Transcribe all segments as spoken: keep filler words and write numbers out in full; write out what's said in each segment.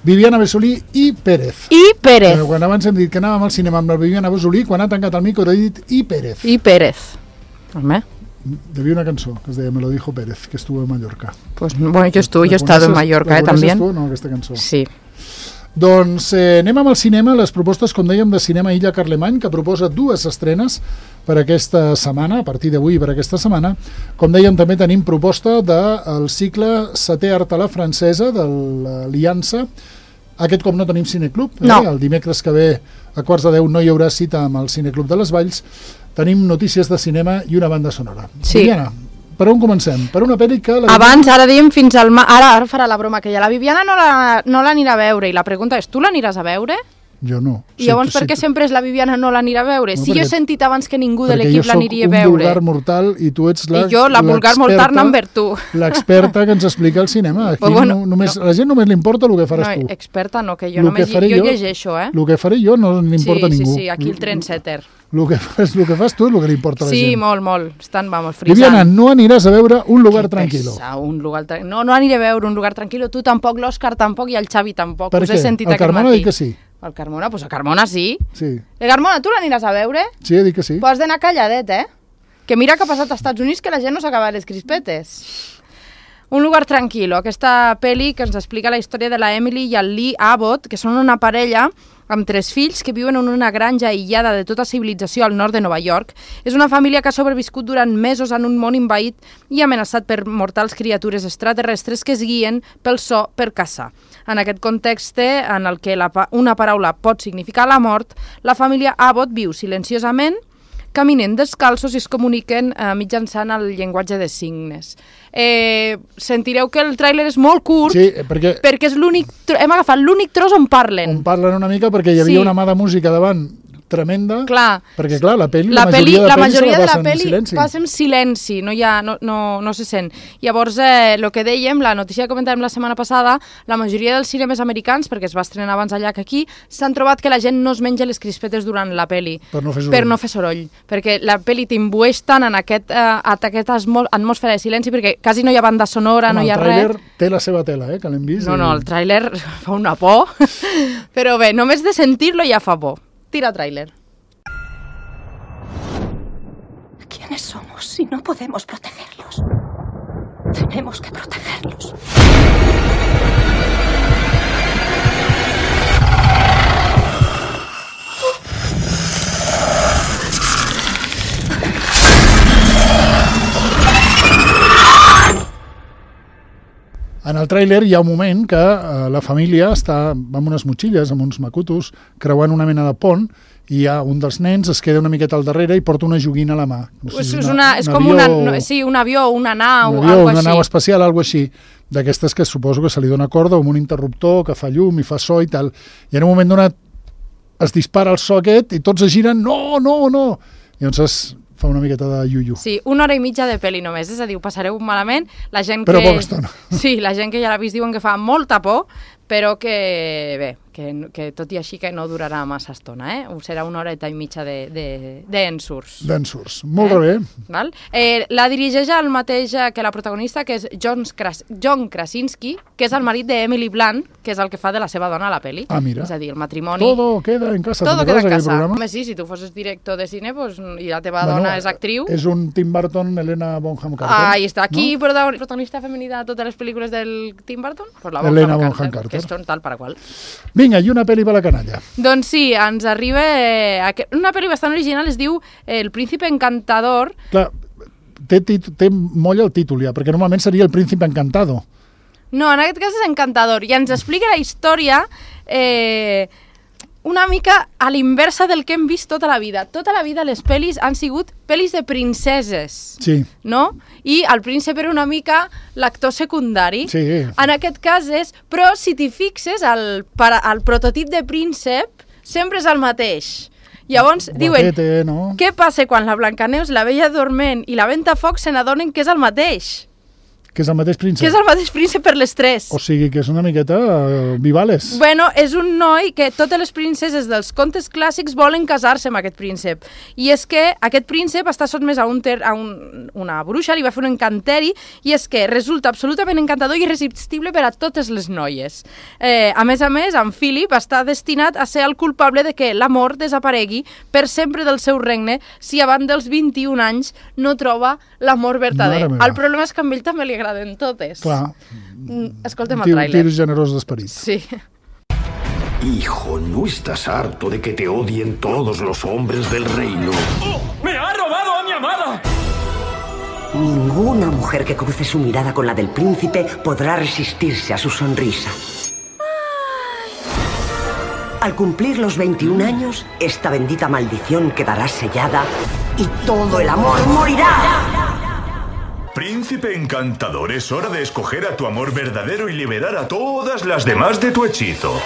Viviana Besolí i Pérez. I Pérez. Però quan abans hem dit que anàvem al cinema amb la Viviana Besolí, quan ha tancat el micro ha dit i Pérez. I Pérez. Home. Hi havia una cançó que es deia Me lo dijo Pérez, que estuvo en Mallorca. Pues, bueno, yo estuve, yo he estado en Mallorca, eh, també. La coneixes tu, no, aquesta cançó? Sí. Doncs eh, anem amb el cinema, les propostes, com dèiem, de Cinema Illa Carlemany, que proposa dues estrenes per aquesta setmana, a partir d'avui per aquesta setmana. Com dèiem, també tenim proposta del cicle Setè Art a la Francesa, de l'Aliança. Aquest cop no tenim cineclub, eh? No. El dimecres que ve a quarts de deu no hi haurà cita amb el Cineclub de les Valls. Tenim notícies de cinema i una banda sonora. Sí. Viviana, per on comencem? Per una pel·li que... La Abans, ara diem fins al... Ma... Ara, ara farà la broma aquella. La Viviana no l'anirà no a veure, i la pregunta és, tu l'aniràs a veure? Jo no. I llavors sí, per què sí, sempre és la Viviana no l'anirà a veure? No, si perquè, jo he sentit abans que ningú de l'equip l'aniria a veure. Perquè jo soc un vulgar mortal i tu ets la, I jo, la vulgar mortal number tu. L'experta que ens explica el cinema. Aquí pues bueno, no, només, no. La gent només li importa el que faràs no, tu. Experta no, que jo lo només que jo, jo llegeixo, eh? El que faré jo no li importa sí, a ningú. Sí, sí, aquí el trendsetter. El que, fas, el que fas tu és el que li importa a la sí, gent. Sí, molt, molt. Estan, vamos, frisant. Viviana, no aniràs a veure Un lugar tranquilo. Pesa, un lugar tra... No, no aniré a veure Un lugar tranquilo. Tu tampoc, l'Òscar tampoc i el Xavi tampoc. Per Us què? he sentit el Carmona ha dit que sí. El Carmona? Doncs pues a Carmona sí. Sí. El Carmona, tu l'aniràs a veure? Sí, he dit que sí. Pues has d'anar calladet, eh? Que mira que ha passat als Estats Units que la gent no s'acaba les crispetes. Un lugar tranquilo, aquesta pel·li que ens explica la història de la Emily i el Lee Abbott, que són una parella amb tres fills que viuen en una granja aïllada de tota civilització al nord de Nova York. És una família que ha sobreviscut durant mesos en un món envaït i amenaçat per mortals criatures extraterrestres que es guien pel so per caçar. En aquest context en el que la, una paraula pot significar la mort, la família Abbott viu silenciosament, caminen descalços i es comuniquen eh, mitjançant el llenguatge de signes. Eh, sentireu que el tràiler és molt curt, sí, perquè, perquè és l'únic, hem agafat l'únic tros on parlen. On parlen una mica perquè hi havia sí. una mà de música davant tremenda, clar. Perquè clar, la pel·li, la, la majoria de la pel·lis majoria se la passa en silenci. Passa en silenci, no, hi ha, no, no, no se sent. Llavors, el eh, que dèiem, la notícia que comentàvem la setmana passada, la majoria dels cinemes americans, perquè es va estrenar abans allà que aquí, s'han trobat que la gent no es menja les crispetes durant la pel·li. Per no fer soroll. Per no fer soroll. Perquè la pel·li t'imbueix tant en aquest, eh, aquesta atmosfera de silenci, perquè quasi no hi ha banda sonora, Home, no hi ha res. El tràiler té la seva tela, eh, que l'hem vist. No, i... no, el tràiler fa una por. Però bé, només de sentir-lo ja fa por. Tira tràiler. ¿Quiénes somos si no podemos protegerlos? Tenemos que protegerlos. En el tràiler hi ha un moment que eh, la família està amb unes motxilles, amb uns macutos, creuant una mena de pont, i hi ha un dels nens, es queda una miqueta al darrere i porta una joguina a la mà. No sé, és, una, una, és un com avió, una, no, sí, un avió, una nau, un avió, algo una així. nau espacial, algo així, d'aquestes que suposo que se li dona corda amb un interruptor que fa llum i fa so i tal. I en un moment donat es dispara el so aquest i tots es giren, no, no, no! I llavors es fa una miqueta de iu-iu. Sí, una hora i mitja de pel·li només, és a dir, ho passareu malament. La gent però que... poca estona. Sí, la gent que ja l'ha vist diuen que fa molta por, però que, bé, que, que tot i així que no durarà massa estona, eh? Serà una horeta i mitja d'ensurs. De, de d'ensurs, molt eh? bé. Val? Eh, la dirigeix el mateix que la protagonista, que és John, Kras John Krasinski, que és el marit d'Emily Blunt, que és el que fa de la seva dona a la pel·li. Ah, mira. És a dir, el matrimoni... Todo queda en casa. Todo queda en casa. Home, sí, si tu fossis director de cine pues, i la teva bueno, dona és actriu... És un Tim Burton, Helena Bonham Carter. Ah, i està aquí, no? protagonista femenina de totes les pel·lícules del Tim Burton? Pues la Helena Bonham Bonham Carter, Carter. que són tal per a qual. Vinga, i una pel·li per la canalla. Doncs sí, ens arriba eh, una pel·li bastant original, es diu El príncipe encantador. Clar, té, té molla el títol ja, perquè normalment seria El príncipe encantado. No, en aquest cas és encantador, i ens explica la història eh, una mica a l'inversa del que hem vist tota la vida. Tota la vida les pel·lis han sigut pel·lis de princeses, sí. no? I el príncep era una mica l'actor secundari. Sí. En aquest cas és... Però si t'hi fixes, el, el prototip de príncep sempre és el mateix. Llavors diuen, Guapete, no? Què passa quan la Blancaneus, la Bella Dorment i la Ventafocs se n'adonen que és el mateix? Que és el mateix príncep. Que és el mateix príncep per les tres. O sigui, que és una miqueta uh, Vivales. Bueno, és un noi que totes les princeses dels contes clàssics volen casar-se amb aquest príncep. I és que aquest príncep està sotmès a, un ter a un, una bruixa, li va fer un encanteri, i és que resulta absolutament encantador i irresistible per a totes les noies. Eh, a més a més, en Philip està destinat a ser el culpable de que l'amor desaparegui per sempre del seu regne si abans dels vint-i-un anys no troba l'amor verdader. El problema és que a ell també li agraden totes. Clar. Escoltem el tràiler. Tir generós d'esperit. Sí. Hijo, ¿no estás harto de que te odien todos los hombres del reino? ¡Oh! ¡Me ha robado a mi amada! Ninguna mujer que cruce su mirada con la del príncipe podrá resistirse a su sonrisa. Al cumplir los veintiún años, esta bendita maldición quedará sellada y todo el amor morirá. Príncipe encantador, es hora de escoger a tu amor verdadero y liberar a todas las demás de tu hechizo.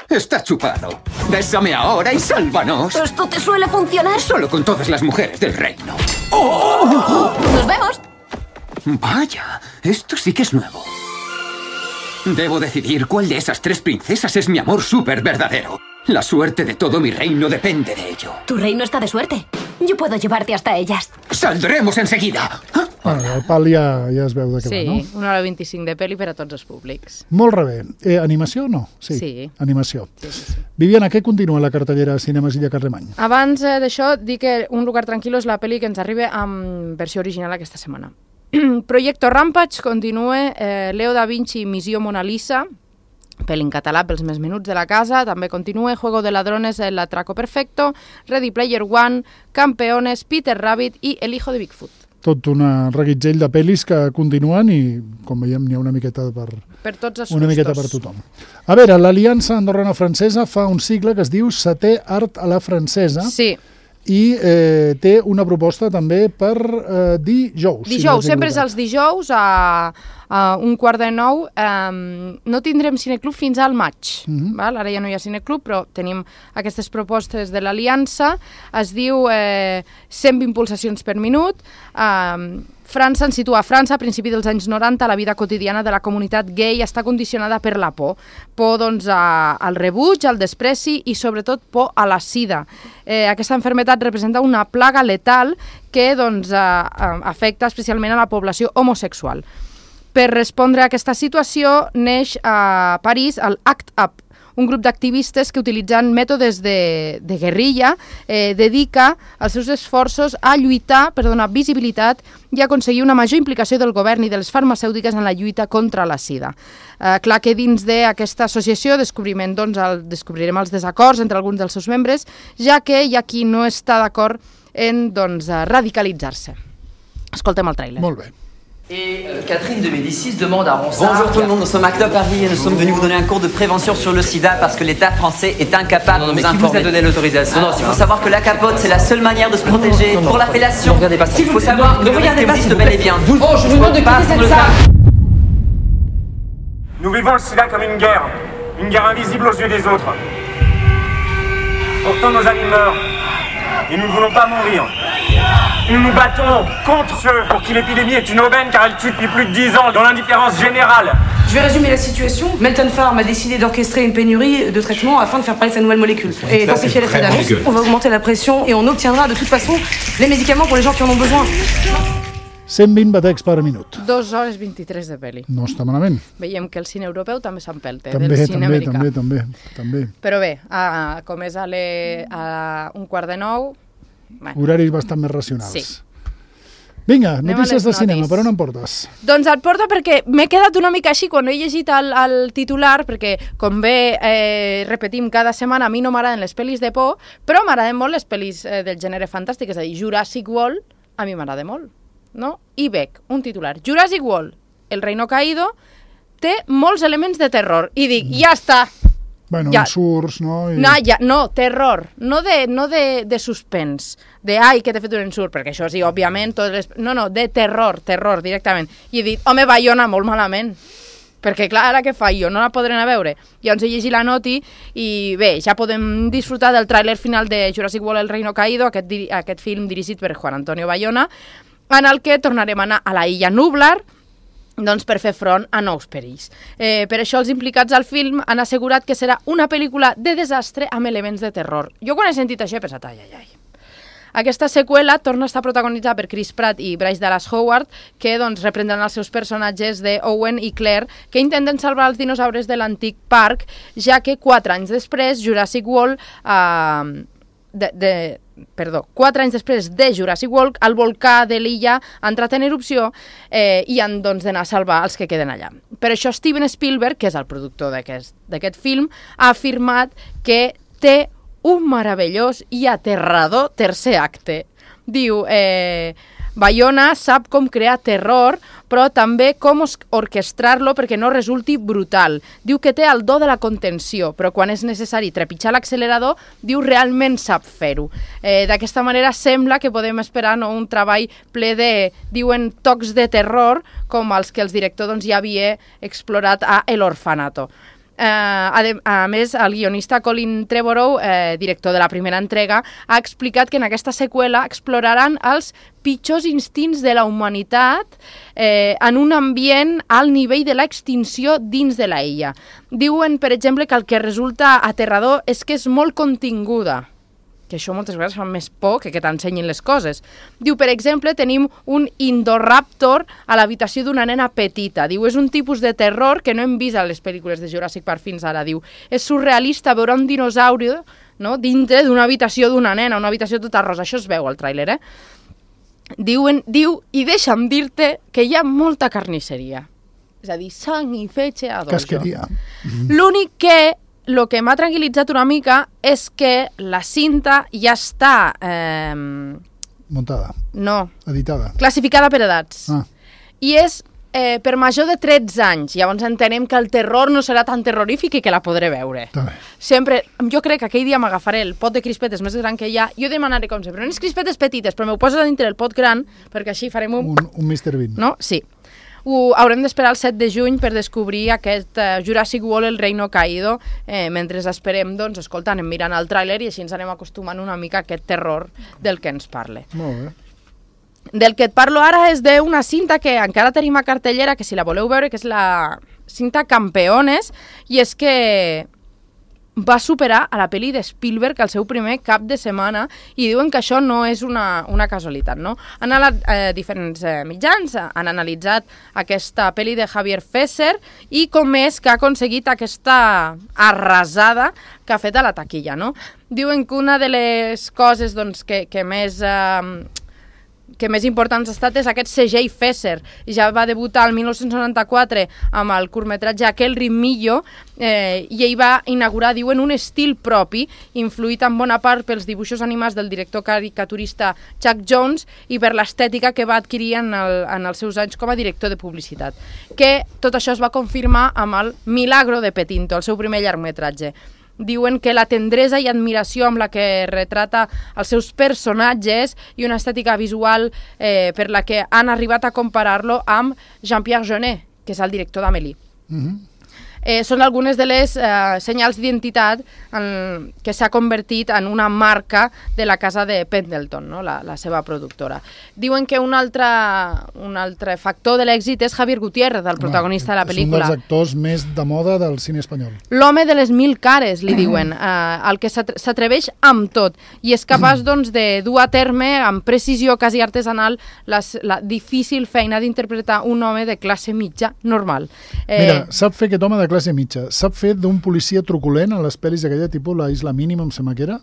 Está chupado. Bésame ahora y sálvanos. ¿Esto te suele funcionar? Solo con todas las mujeres del reino. ¡Oh! ¡Nos vemos! Vaya, esto sí que es nuevo. Debo decidir cuál de esas tres princesas es mi amor súper verdadero. La suerte de todo mi reino depende de ello. Tu reino está de suerte. Yo puedo llevarte hasta ellas. ¡Saldremos enseguida! Bueno, el pal ja, ja es veu de què sí, va, no? Sí, una hora vint-i-cinc de pel·li per a tots els públics. Molt rebé. Eh, animació o no? Sí, sí. Animació. Sí, sí, sí. Viviana, què continua la cartellera Cinemes Illa Carlemany? Abans eh, d'això, dic que Un lugar tranquil·lo és la pel·li que ens arriba amb versió original aquesta setmana. Proyecto Rampage continua, eh, Leo da Vinci, Missió Mona Lisa, pel·li en català pels més menuts de la casa, també continua Juego de Ladrones, El atraco perfecto, Ready Player One, Campeones, Peter Rabbit i El hijo de Bigfoot. Tot un reguitzell de pel·lis que continuen i, com veiem, n'hi ha una miqueta per, per tots els una gustos. miqueta per tothom. A veure, l'Aliança Andorrana-Francesa fa un cicle que es diu Setè Art a la Francesa. Sí. I eh, té una proposta també per eh, dijous. Dijous, si sempre és els dijous a, a un quart de nou. Um, no tindrem cineclub fins al maig. Mm-hmm. Val? Ara ja no hi ha cineclub, però tenim aquestes propostes de l'Aliança. Es diu eh, cent vint pulsacions per minut. Um, França ens situa a França a principi dels anys noranta. La vida quotidiana de la comunitat gay està condicionada per la por. Por doncs, a, al rebuig, al despreci i sobretot por a la sida. Eh, aquesta malaltia representa una plaga letal que doncs, eh, afecta especialment a la població homosexual. Per respondre a aquesta situació neix a París el Act Up, un grup d'activistes que, utilitzant mètodes de, de guerrilla, eh, dedica els seus esforços a lluitar per donar visibilitat i aconseguir una major implicació del govern i de les farmacèutiques en la lluita contra la sida. Eh, clar que dins d'aquesta associació descobrirem, doncs, el, descobrirem els desacords entre alguns dels seus membres, ja que hi ha qui no està d'acord en doncs, radicalitzar-se. Escoltem el tràiler. Molt bé. Et euh, Catherine de Médicis demande à Ronsard... Bonjour tout le monde, nous sommes Act Up Paris et nous sommes venus vous donner un cours de prévention sur le sida parce que l'État français est incapable de nous informer. Qui vous a donné l'autorisation? Non, non, il faut savoir que la capote, c'est la seule manière de se protéger. Non, non, pour la fellation, ne regardez pas ça. il faut savoir que ne le regardez risque pas, existe bel et bien. Vous, oh, je vous demande de quitter cette salle. Nous vivons le sida comme une guerre, une guerre invisible aux yeux des autres. Pourtant nos amis meurent, et nous ne voulons pas mourir. Nous nous battons contre ceux pour qui l'épidémie est une aubaine car elle tue depuis plus de dix ans dans l'indifférence générale. Je vais résumer la situation. Melton Pharm a décidé d'orchestrer une pénurie de traitements afin de faire parler de sa nouvelle molécule. Et d'amplifier l'effet d'annonce, on va augmenter la pression et on obtiendra de toute façon les médicaments pour les gens qui en ont besoin. cent vint batecs per minut. dos hores vint-i-tres de pel·li. No està malament. Veiem que el cine europeu també s'empelta també, del cine també, americà. També, també, també. Però bé, a, com és a, le, a un quart de nou... Bueno. Horaris bastant més racionals. Sí. Vinga, Anem notícies de cinema, per on em portes? Doncs et porto perquè m'he quedat una mica així quan he llegit el, el titular, perquè com bé eh, repetim cada setmana, a mi no m'agraden les pel·lis de por, però m'agraden molt les pel·lis eh, del gènere fantàstic, és a dir, Jurassic World, a mi m'agrada molt, no? I veig un titular, Jurassic World, El reino caído, té molts elements de terror, i dic, mm. ja està! Bueno, ja. ensurts, no? I... No, ja, no, terror, no de, no de, de suspens, de ai, que t'he fet un ensurt, perquè això sí, òbviament, totes les... no, no, de terror, terror, directament. I he dit, home, Bayona, molt malament, perquè clar, ara què fa jo? No la podré anar a veure. Llavors he llegit la noti i bé, ja podem disfrutar del tràiler final de Jurassic World El reino caído, aquest, aquest film dirigit per Juan Antonio Bayona. en el que tornarem a anar a la illa Nublar, doncs per fer front a nous perills. Eh, per això els implicats al film han assegurat que serà una pel·lícula de desastre amb elements de terror. Jo quan he sentit això he pensat, ai, ai, ai. Aquesta seqüela torna a estar protagonitzada per Chris Pratt i Bryce Dallas Howard, que doncs, reprendran els seus personatges de Owen i Claire, que intenten salvar els dinosaures de l'antic parc, ja que quatre anys després Jurassic World... Eh, de, de, perdó, quatre anys després de Jurassic World, el volcà de l'illa ha entrat en erupció eh, i han doncs, d'anar a salvar els que queden allà. Per això Steven Spielberg, que és el productor d'aquest film, ha afirmat que té un meravellós i aterrador tercer acte. Diu, eh, Bayona sap com crear terror, però també com orquestrar-lo perquè no resulti brutal. Diu que té el do de la contenció, però quan és necessari trepitjar l'accelerador, diu realment sap fer-ho. Eh, D'aquesta manera sembla que podem esperar no, un treball ple de, diuen, tocs de terror, com els que el director doncs, ja havia explorat a El Orfanato. Eh, a, de, a més, el guionista Colin Trevorrow, eh, director de la primera entrega, ha explicat que en aquesta seqüela exploraran els pitjors instints de la humanitat eh, en un ambient al nivell de l'extinció dins de la illa. Diuen, per exemple, que el que resulta aterrador és que és molt continguda, que això moltes vegades fa més por que que t'ensenyin les coses. Diu, per exemple, tenim un Indoraptor a l'habitació d'una nena petita. Diu, és un tipus de terror que no hem vist a les pel·lícules de Jurassic Park fins ara. Diu, és surrealista veure un dinosauri, no?, dintre d'una habitació d'una nena, una habitació tota rosa. Això es veu al tràiler, eh? Diuen, diu, i deixa'm dir-te que hi ha molta carnisseria. És a dir, sang i fetge a dojo. Casqueria. L'únic que... El que m'ha tranquil·litzat una mica és que la cinta ja està... Eh, muntada. No. Editada. Classificada per edats. Ah. I és eh, per major de tretze anys. Llavors entenem que el terror no serà tan terrorífic i que la podré veure. També. Sempre, jo crec que aquell dia m'agafaré el pot de crispetes més gran que hi ha. Jo demanaré com sempre, unes crispetes petites, però m'ho poses a dintre el pot gran, perquè així farem un... Un, un mister Bean. No? Sí. Ho haurem d'esperar el set de juny per descobrir aquest uh, Jurassic World, el Reino Caído, eh, mentre esperem, doncs, escolta, anem mirant el tràiler i així ens anem acostumant una mica a aquest terror del que ens parle. Molt bé. Del que et parlo ara és d'una cinta que encara tenim a cartellera, que si la voleu veure, que és la cinta Campeones, i és que va superar a la pel·li de Spielberg el seu primer cap de setmana i diuen que això no és una, una casualitat, no? Han anat eh, diferents eh, mitjans, han analitzat aquesta pel·li de Javier Fesser i com és que ha aconseguit aquesta arrasada que ha fet a la taquilla, no? Diuen que una de les coses doncs, que, que més... Eh, que més importants ha estat és aquest C J Fesser. Ja va debutar el dinou noranta-quatre amb el curtmetratge Aquel Rimillo eh, i ell va inaugurar, diuen, un estil propi, influït en bona part pels dibuixos animats del director caricaturista Chuck Jones i per l'estètica que va adquirir en, el, en els seus anys com a director de publicitat. Que tot això es va confirmar amb el Milagro de Petinto, el seu primer llargmetratge. Diuen que la tendresa i admiració amb la que retrata els seus personatges i una estètica visual eh, per la que han arribat a comparar-lo amb Jean-Pierre Jeunet, que és el director d'Amélie. Mm-hmm. Eh, són algunes de les eh, senyals d'identitat que s'ha convertit en una marca de la casa de Pendleton, no? la, la seva productora. Diuen que un altre, un altre factor de l'èxit és Javier Gutiérrez, el protagonista Home, de la pel·lícula. És un dels actors més de moda del cine espanyol. L'home de les mil cares, li diuen, eh, el que s'atreveix amb tot i és capaç doncs, de dur a terme amb precisió quasi artesanal les, la difícil feina d'interpretar un home de classe mitja normal. Eh... Mira, sap fer aquest home de classe mitja. Sap fer d'un policia truculent en les pel·lis d'aquella tipus, la Isla Mínima, em sembla que era.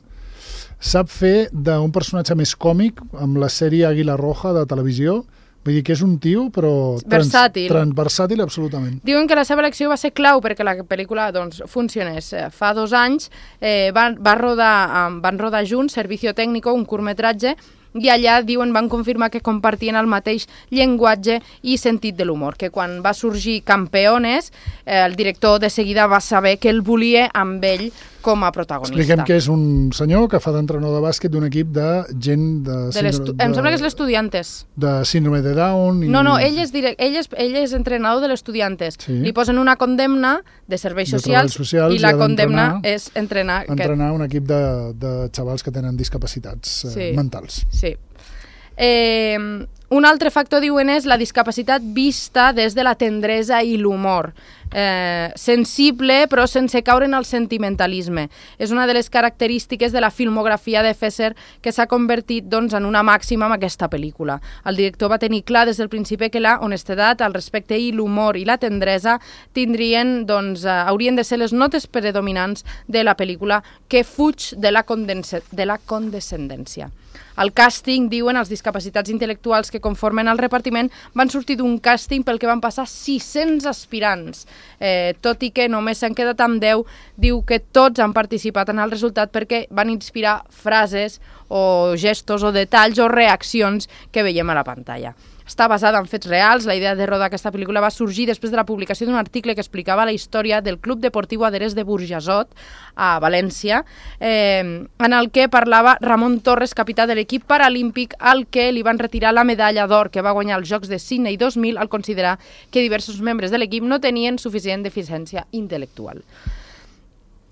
Sap fer d'un personatge més còmic amb la sèrie Águila Roja de televisió. Vull dir que és un tio, però... Trans, versàtil. Trans, versàtil, absolutament. Diuen que la seva elecció va ser clau perquè la pel·lícula doncs, funcionés. Fa dos anys eh, van, va rodar, um, van rodar junts Servicio Técnico, un curtmetratge, i allà, diuen, van confirmar que compartien el mateix llenguatge i sentit de l'humor, que quan va sorgir Campeones, eh, el director de seguida va saber que el volia amb ell com a protagonista. Expliquem que és un senyor que fa d'entrenador de bàsquet d'un equip de gent de... de, de em sembla que és l'Estudiantes. De síndrome de Down. I... No, no, ell és, direct, ell és, ell és entrenador de l'Estudiantes. Sí. Li posen una condemna de serveis socials, de socials i la condemna és entrenar... Entrenar aquest... un equip de, de xavals que tenen discapacitats sí. eh, mentals. Sí. Eh, un altre factor, diuen, és la discapacitat vista des de la tendresa i l'humor. Eh, sensible, però sense caure en el sentimentalisme. És una de les característiques de la filmografia de Fesser que s'ha convertit doncs, en una màxima amb aquesta pel·lícula. El director va tenir clar des del principi que la honestedat, el respecte i l'humor i la tendresa tindrien, doncs, eh, haurien de ser les notes predominants de la pel·lícula, que fuig de la, de la condescendència. El càsting, diuen, els discapacitats intel·lectuals que conformen el repartiment van sortir d'un càsting pel que van passar sis-cents aspirants. Eh, tot i que només s'han quedat amb deu, diu que tots han participat en el resultat perquè van inspirar frases o gestos o detalls o reaccions que veiem a la pantalla. Està basada en fets reals. La idea de rodar aquesta pel·lícula va sorgir després de la publicació d'un article que explicava la història del Club Deportiu Aderès de Burjasot, a València, eh, en el que parlava Ramon Torres, capità de l'equip paralímpic, al que li van retirar la medalla d'or que va guanyar als Jocs de Sydney dos mil al considerar que diversos membres de l'equip no tenien suficient deficiència intel·lectual.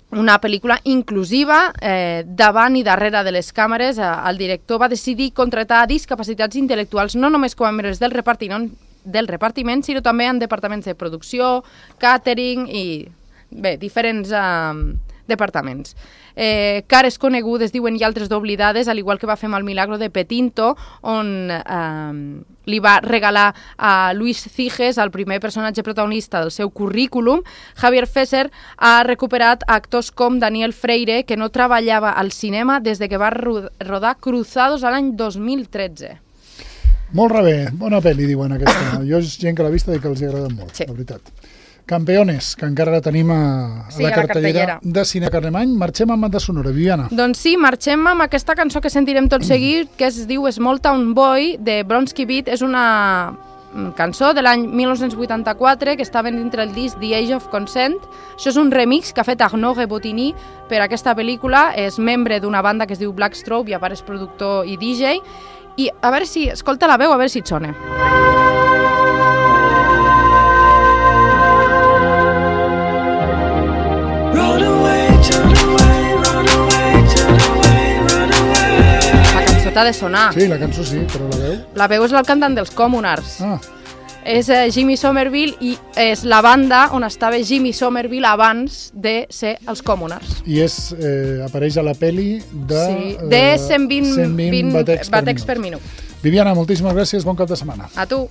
Una pel·lícula inclusiva, eh, davant i darrere de les càmeres. Eh, el director va decidir contractar discapacitats intel·lectuals no només com a membres del repartiment, del repartiment, sinó també en departaments de producció, càtering i, bé, diferents eh, departaments. Eh, cares conegudes, diuen, i altres d'oblidades, al igual que va fer amb el Milagro de Petinto, on eh, li va regalar a Luis Ciges, el primer personatge protagonista del seu currículum. Javier Fesser ha recuperat actors com Daniel Freire, que no treballava al cinema des de que va rodar Cruzados a l'any dos mil tretze. Molt rebé, bona pel·li, diuen aquesta. Jo és gent que l'ha vista i que els ha agradat molt, sí. La veritat. Campeones, que encara la tenim a, sí, la, a la cartellera de Cine Carlemany. Marxem amb banda sonora, Viviana. Doncs sí, marxem amb aquesta cançó que sentirem tot seguit, que es diu Small Town Boy, de Bronski Beat. És una cançó de l'any mil nou-cents vuitanta-quatre que estava dintre el disc The Age of Consent. Això és un remix que ha fet Arnaud Rebotini per aquesta pel·lícula. És membre d'una banda que es diu Black Strobe i a part és productor i D J. I a veure si, escolta la veu, a veure si et sona. Ha de sonar. Sí, la cançó sí, però la veu... La veu és el cantant dels Communards. Ah. És eh, Jimmy Somerville i és la banda on estava Jimmy Somerville abans de ser els Communards. I és, eh, apareix a la peli de... Sí, de cent vint, cent vint vint batecs, batecs per, per minut. minut. Viviana, moltíssimes gràcies, bon cap de setmana. A tu.